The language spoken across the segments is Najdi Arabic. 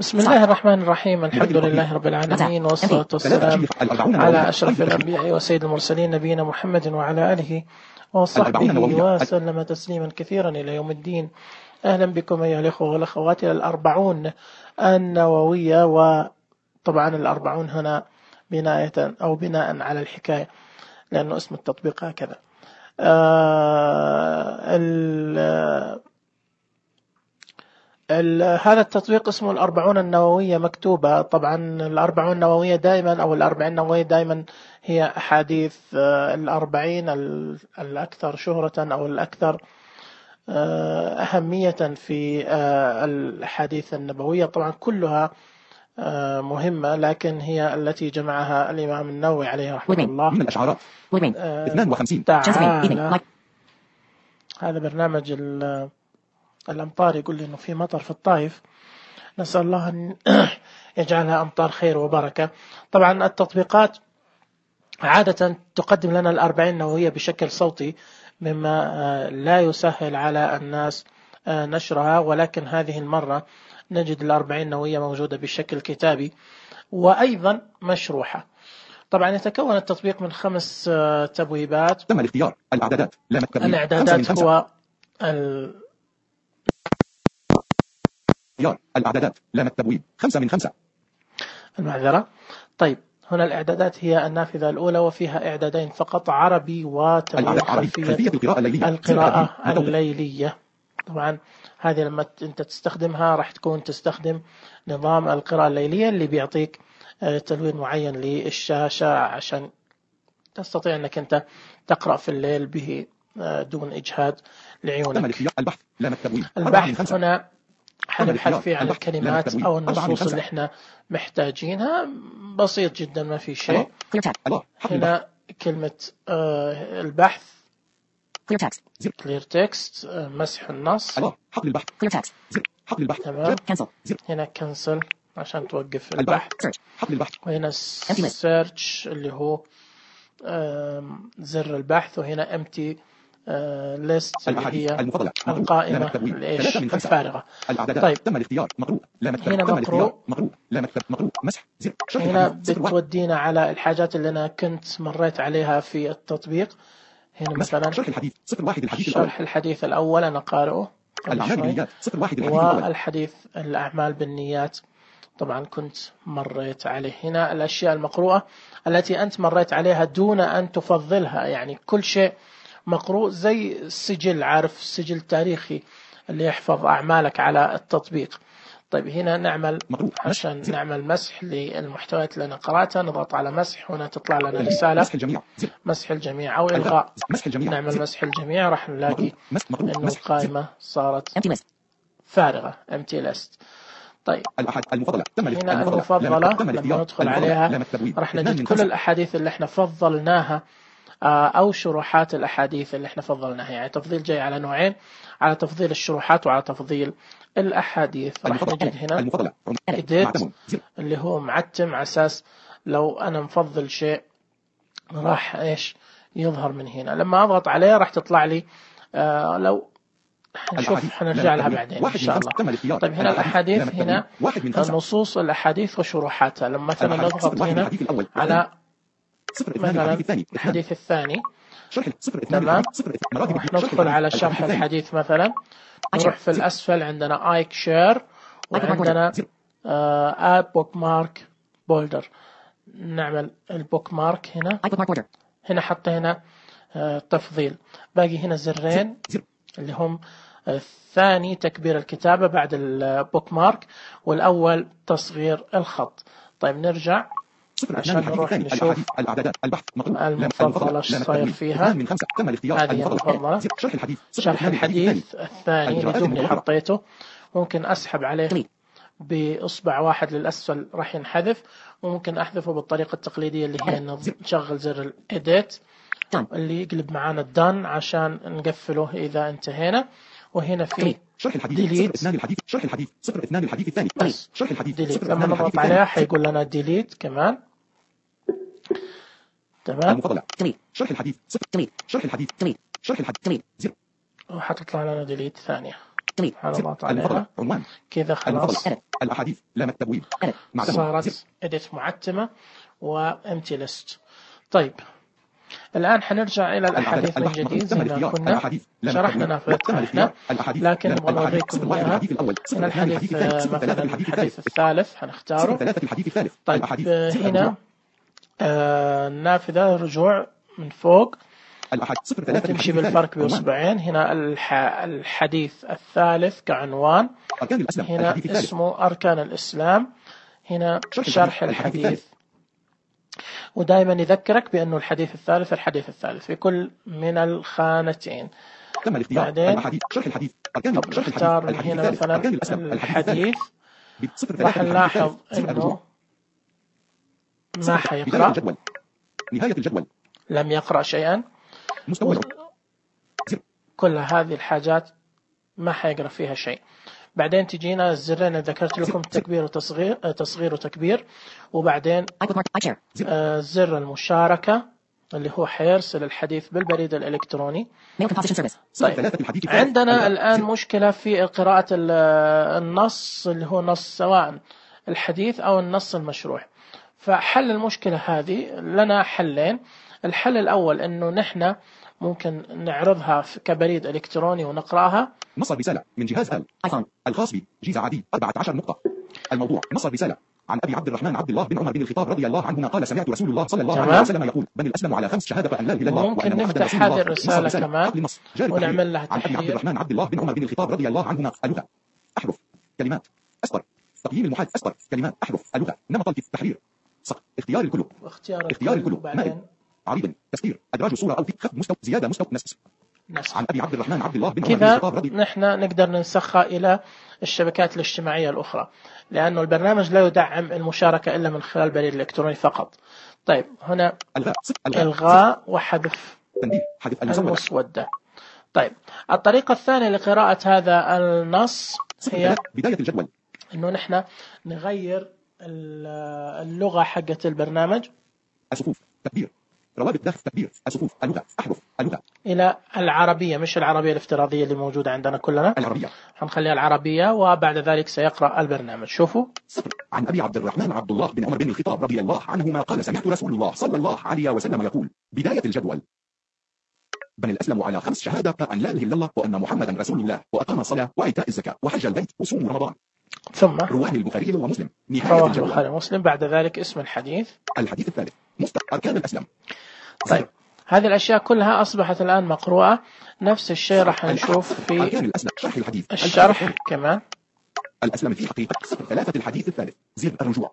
بسم الله الرحمن الرحيم. الحمد لله رب العالمين، والصلاة والسلام على أشرف الأنبياء وسيد المرسلين نبينا محمد وعلى آله وصحبه وسلم تسليما كثيرا إلى يوم الدين. أهلا بكم أيها الأخوة والأخوات إلى الأربعون النووية. وطبعا الأربعون هنا بناء على الحكاية، لأنه اسم التطبيق هكذا. هذا التطبيق اسمه الأربعون النووية مكتوبة. طبعا الأربعون النووية دائما أو الأربعين النووية دائما هي أحاديث الأربعين الأكثر شهرة أو الأكثر أهمية في الأحاديث النبوية. طبعا كلها مهمة، لكن هي التي جمعها الإمام النووي عليه رحمه الله. من الأشعارات 52 تعالى. هذا برنامج الأمطار يقول لي إنه في مطر في الطائف، نسأل الله أن يجعلها أمطار خير وبركة. طبعا التطبيقات عادة تقدم لنا الأربعين النووية بشكل صوتي، مما لا يسهل على الناس نشرها، ولكن هذه المرة نجد الأربعين النووية موجودة بشكل كتابي وأيضا مشروحة. طبعا يتكون التطبيق من 5 تبويبات. تم الاختيار. الإعدادات هو الإعدادات لام التبويب 5 من 5. المعذرة. طيب هنا الإعدادات هي النافذة الأولى، وفيها إعدادين فقط، عربي وتبويب خلفية القراءة الليلية. طبعا هذه لما أنت تستخدمها راح تكون تستخدم نظام القراءة الليلية اللي بيعطيك تلوين معين للشاشة عشان تستطيع أنك أنت تقرأ في الليل به دون إجهاد لعيونك. البحث هنا حنبحث فيه عن الكلمات أو النصوص اللي احنا محتاجينها، بسيط جدا ما في شيء. هنا كلمة البحث clear text، مسح النص. تمام. هنا cancel عشان توقف البحث. وهنا search اللي هو زر البحث. وهنا empty list اللي هي القائمة الفارغة. طيب تم الاختيار. مقروء. هنا مقروء. مسح. هنا بتودينا على الحاجات اللي أنا كنت مريت عليها في التطبيق. هنا مثلا شرح الحديث الأول أنا قارئه، والحديث الأعمال بالنيات طبعا كنت مريت عليه. هنا الأشياء المقروءة التي أنت مريت عليها دون أن تفضلها، يعني كل شيء مقروء زي السجل، عارف السجل التاريخي اللي يحفظ أعمالك على التطبيق. طيب هنا نعمل عشان نعمل مسح للمحتويات اللي أنا قرأتها، نضغط على مسح. هنا تطلع لنا رسالة مسح الجميع أو إلغاء. نعمل مسح الجميع، راح نلاقي إنه القائمة صارت فارغة empty list. طيب هنا المفضلة لما ندخل عليها راح نجد كل الأحاديث اللي احنا فضلناها أو شروحات الأحاديث اللي احنا فضلناها. يعني تفضيل جاي على نوعين، على تفضيل الشروحات وعلى تفضيل الأحاديث. راح نجد هنا edit اللي هو معتم، على أساس لو أنا مفضل شيء راح إيش يظهر من هنا. لما أضغط عليه راح تطلع لي لو نشوف حنرجع لها بعدين إن شاء الله. طيب هنا الأحاديث، هنا نصوص الأحاديث وشروحاتها. لما مثلا نضغط هنا على مثلا الحديث الثاني، تمام، راح ندخل على شرح الحديث مثلا، نروح في الأسفل عندنا آيك شير، وعندنا آد بوك مارك بولدر. نعمل البوك مارك هنا حتى هنا تفضيل. باقي هنا زرين اللي هم الثاني تكبير الكتابة بعد البوك مارك، والأول تصغير الخط. طيب نرجع عشان نروح نشوف المفضلة ايش صاير فيها. هذه المفضلة شرح الحديث الثاني اللي دوبني حطيته، ممكن أسحب عليه بإصبع واحد للأسفل راح ينحذف، وممكن أحذفه بالطريقة التقليدية اللي هي نشغل زر الإيديت اللي يقلب معانا الدن عشان نقفله إذا انتهينا. وهنا في ديليت. ديليت لما نضغط عليها حيقول لنا ديليت كمان. تمام. وحتطلع لنا ديليت ثانية. سبحان الله تعالى. عنوان كذا خلاص الأحاديث لام التبويب صارت إديت معتمة وامتي ليست. طيب الآن حنرجع إلى الأحاديث من جديد زي ما كنا شرحنا نافذتها، لكن نبغى نوريكم إياها. هنا الحديث مثلا الحديث الثالث حنختاره. طيب هنا النافذة رجوع من فوق تمشي بالفرق بإصبعين. هنا الحديث الثالث كعنوان، هنا اسمه أركان الإسلام، هنا شرح الحديث. ودائما يذكرك بأنه الحديث الثالث في كل من الخانتين. بعدين نختار من هنا مثلا الحديث، راح نلاحظ أنه ما حيقرأ، نهاية الجدول لم يقرأ شيئا. كل هذه الحاجات ما حيقرأ فيها شيء. بعدين تجينا الزرين اللي ذكرت لكم، تكبير وتصغير، تصغير وتكبير. وبعدين زر المشاركة اللي هو حيرسل الحديث بالبريد الإلكتروني. طيب عندنا الآن مشكلة في قراءة النص اللي هو نص سواء الحديث أو النص المشروح. فحل المشكلة هذه لنا حلين. الحل الأول أنه نحن ممكن نعرضها كبريد إلكتروني ونقرأها. نص الرسالة من جهاز آيفون الخاص بجيزة عدي 14 نقطة. الموضوع: نص الرسالة عن أبي عبد الرحمن عبد الله بن عمر بن الخطاب رضي الله عنهما قال: سمعت رسول الله صلى الله عليه وسلم يقول: بني الأسلم على 5 شهادة أن لا إله إلا الله ممكن نفتح هذه الرسالة كمان ونعمل لها تحرير. عن أبي عبد الرحمن عبد الله بن عمر بن الخطاب رضي الله عنهما: اللغة أحرف كلمات أسطر تقييم المحاد أسطر كلمات أحرف اللغة نمط التحرير صق اختيار الكلب اختيار الكلب مائل عريض تسكير أدراج صورة أو خفض مستوى زيادة مستوى نسخ. عن أبي عبد الرحمن عبد الله بن عمر بن الخطاب رضي. نحن نقدر ننسخها إلى الشبكات الاجتماعية الأخرى، لأنه البرنامج لا يدعم المشاركة إلا من خلال البريد الإلكتروني فقط. طيب هنا إلغاء وحذف المسودة. طيب الطريقة الثانية لقراءة هذا النص هي بداية الجدول، إنه نحن نغير اللغة حقة البرنامج. الصفوف تكبير روابط داخل تكبير الصفوف اللغة أحرف اللغة إلى العربية، مش العربية الافتراضية اللي موجودة عندنا كلنا. العربية حنخليها العربية، وبعد ذلك سيقرأ البرنامج. شوفوا: عن أبي عبد الرحمن عبد الله بن عمر بن الخطاب رضي الله عنهما قال: سمعت رسول الله صلى الله عليه وسلم يقول: بداية الجدول: بني الأسلم على 5 شهادة أن لا إله إلا الله وأن محمدا رسول الله وأقام الصلاة وإيتاء الزكاة وحج البيت وصوم رمضان. ثم رواه البخاري ومسلم. نهاية البخاري ومسلم. بعد ذلك اسم الحديث. الحديث الثالث: أركان الإسلام. طيب هذه الأشياء كلها أصبحت الآن مقروءة. نفس الشيء راح نشوف في شرح الحديث. الشرح كمان. الأسلام في حقيقة 3 الحديث الثالث زر الرجوع.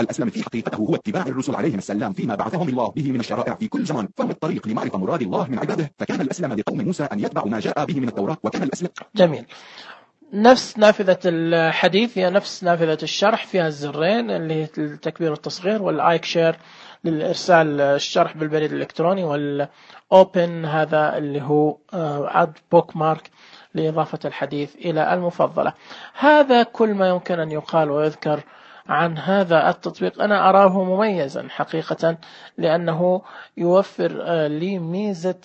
الأسلام في حقيقته هو اتباع الرسل عليهم السلام فيما بعثهم الله به من الشرائع في كل زمان، فهم الطريق لمعرفة مراد الله من عباده. فكان الأسلام لقوم موسى أن يتبعوا ما جاء به من التوراة، وكان الأسلام. جميل. نفس نافذة الحديث هي نفس نافذة الشرح، فيها الزرين اللي هي التكبير والتصغير، والآيك شير للإرسال الشرح بالبريد الإلكتروني، والأوبن هذا اللي هو اد بوك مارك لإضافة الحديث إلى المفضلة. هذا كل ما يمكن أن يقال ويذكر عن هذا التطبيق. أنا أراه مميزا حقيقة، لأنه يوفر لي ميزة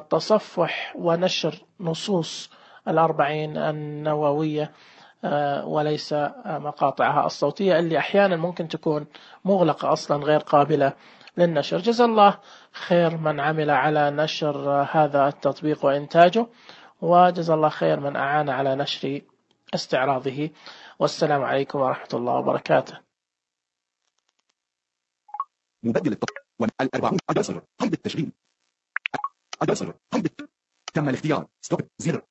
تصفح ونشر نصوص 40 النووية وليس مقاطعها الصوتية اللي أحيانا ممكن تكون مغلقة أصلا غير قابلة للنشر. جزا الله خير من عمل على نشر هذا التطبيق وإنتاجه، وجزا الله خير من أعان على نشر استعراضه. والسلام عليكم ورحمة الله وبركاته. مبدل التطبيق 40 أدرسر قيد التشغيل أدرسر قيد تم الاختيار ستوب زر